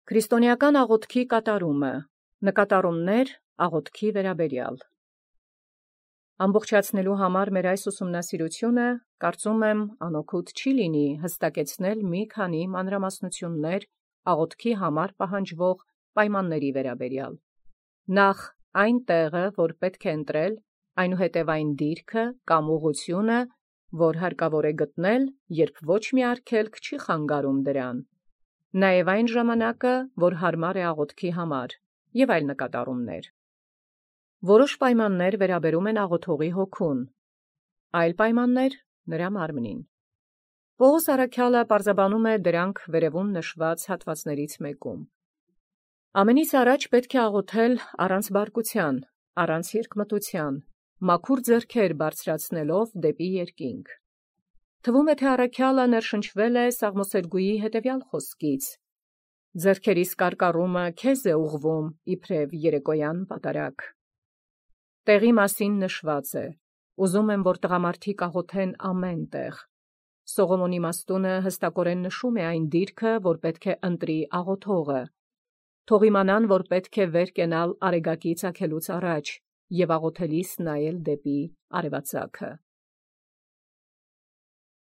Քրիստոնեական աղոթքի կատարումը, նկատառումներ աղոթքի վերաբերյալ։ Ամբողջացնելու համար մեր այս ուսումնասիրությունը կարծում եմ անօգուտ չի լինի հստակեցնել մի քանի մանրամասնություններ աղոթքի համար պահանջվող պայմանների վերաբերյալ։ Նախ այն տեղը, որ պետք է ընտրել, այնուհետև այն դիրքը կամ ուղղությունը, որ հարկավոր է գտնել, երբ ոչ մի արգելք չի խանգարում դրան, նաև այն ժամանակը, որ հարմար է աղոթքի համար, և այլ նկատառումներ։ Որոշ պայմաններ վերաբերում են աղոթողի հոգուն, այլ պայմաններ նրա մարմնին։ Պողոս առաքյալը պարզաբանում է դրանք վերևում նշված հատվածներից մեկում։ Ամենից առաջ պետք է աղոթել առանց բարկության, առանց երկմտության, մաքուր ձեռքեր բարձրացնելով դեպի երկինք։ Թվում է, թե առաքյալը ներշնչվել է Սաղմոսերգուի հետևյալ խոսքից. «Ձեռքերիս կարկառումը քեզ է ուղղվում, իբրև երեկոյան պատարագ»։ Տեղի մասին նշված է. ուզում եմ, որ տղամարդիկ աղոթեն ամեն տեղ։ Սողոմոնի իմաստունը հստակորեն նշում է այն դիրքը, որ պետք է ընտրի աղոթողը։ Թող իմանան, որ պետք է վեր կենալ արեգակի ծագելուց առաջ և աղոթելիս նայել դեպի արևածագը։